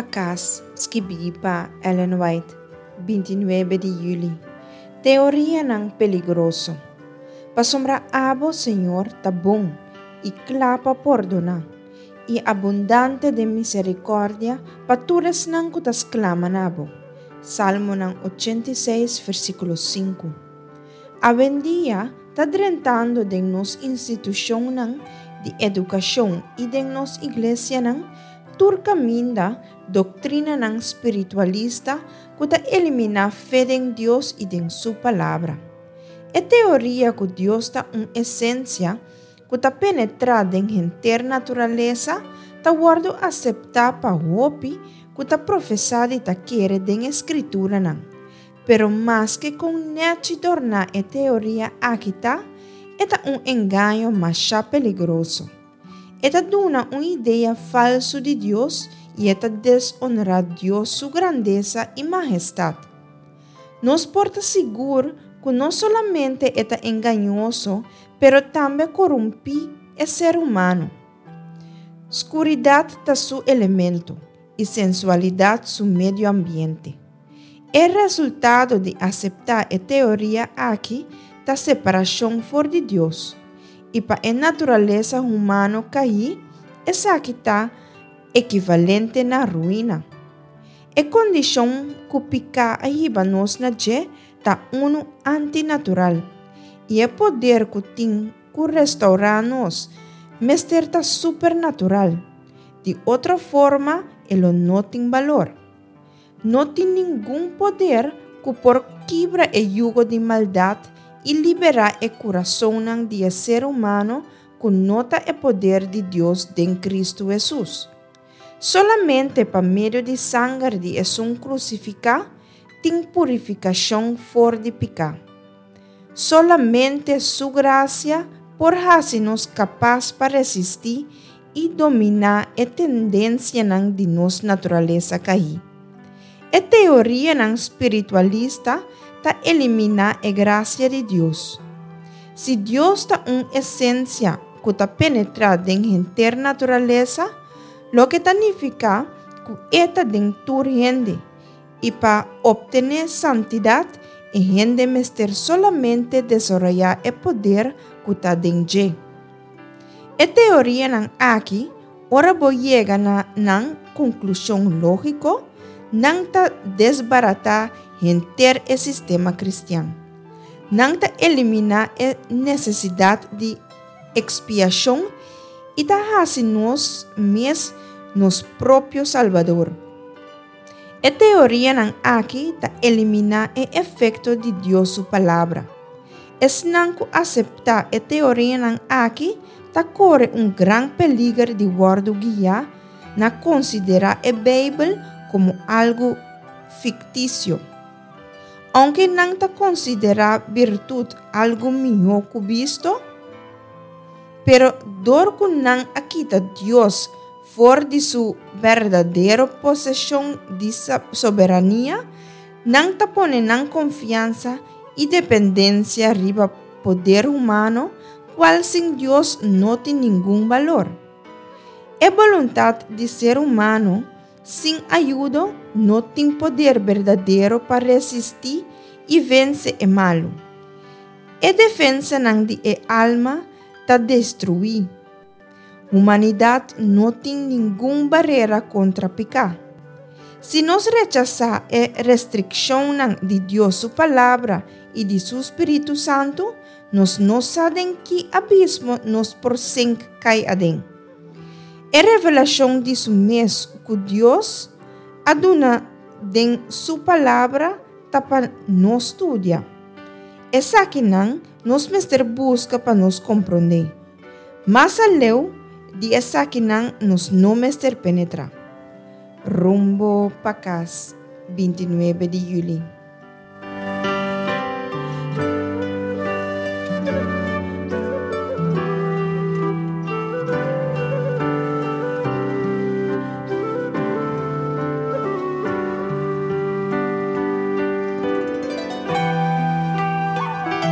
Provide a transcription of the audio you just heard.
pa Kas, skibí pa Ellen White, 29 di yüli. Teorianan peligroso. Pasobra abo, Señor, ta bon i kla pa pordoná, i abundante den miserikòrdia pa tur esnan ku ta sklama na bo. Salmonan 86, versíkulo 5. Awendia ta drentando den nos institushonnan di edukashon i den nos iglesianan tur kaminda doktrinanan spiritualista ku ta eliminá fe den Dios i den Su Palabra. E teoria ku Dios ta un esensia ku ta penetrá den henter naturalesa ta wòrdu aseptá pa hopi ku ta profesá di ta kere den e Skrituranan. Pero maske kon nèchi dorná e teoria aki ta, e ta un engaño masha peligroso. E ta duna un idea falsu di Dios i e ta desonrá Dios su grandesa i mahestat. Nos por ta sigur ku no solamente e ta engañoso pero tambe korumpí e ser humano. Skuridat ta su elemento i sensualidat su medio ambiente. E resultado di aseptá e teoria aki ta separashon for di Dios, i pa e naturalesa humano kaí, esaki ta ekivalente na ruina. E kondishon ku piká a hiba nos na dje ta unu antinatural, i e poder ku tin ku restourá nos mester ta supernatural, di otro forma e lo no tin balor. No tin ningun poder ku por kibra e yugo di maldat i liberá e kurasonnan di e ser humano ku no ta e poder di Dios den Kristu Hesus. Solamente pa medio di sanger di esun krusifiká tin purifikashon for di piká. Solamente Su grasia por hasi nos kapas pa resistí i dominá e tendensianan di nos naturalesa kaí. E teorianan spiritualista ta eliminá e grasia di Dios. Si Dios ta un esensia ku ta penetrá den henter naturalesa, loke ta nifiká ku e ta den tur hende, I pa optené santidat, e hende mester solamente desaroyá e poder ku ta den dje. E teorianan aki, ora bo yega na nan konklushon lógiko, nan ta desbaratá henter e sistema kristian. Nan ta eliminá e nesesidat di ekspiashon i ta hasi nos mes nos propio salbador. E teorianan aki ta eliminá e efekto di Dios su Palabra. Esnan ku aseptá e teorianan aki ta kore un gran peliger di wòrdu guiá na konsiderá e Beibel komo algu fiktisio. Ounke nan ta konsiderá birtut algu mihó ku bisto, pero dor ku nan a kita Dios For di su berdadero poseshon di soberania, nan ta pone nan konfiansa i dependensia riba poder humano, kual sin Dios no tin ningun balor. E boluntat di ser humano sin ayudo no tin poder berdadero pa resistí i vense e malu. E defensanan di e alma ta destruí. Humanidat no tin ningun barera kontra piká. Si nos rechasá e restrikshonnan di Dios su Palabra i di su spiritu santu, nos no sa den ki abismo nos por sink kai aden. E revelashon di su mes ku Dios a duna den su Palabra ta pa nos studia. Esakinan nos mester buska pa nos komprondé. Mas aleu di esakinan nos no mester penetrá. Rumbo pa kas, 29 di yüli.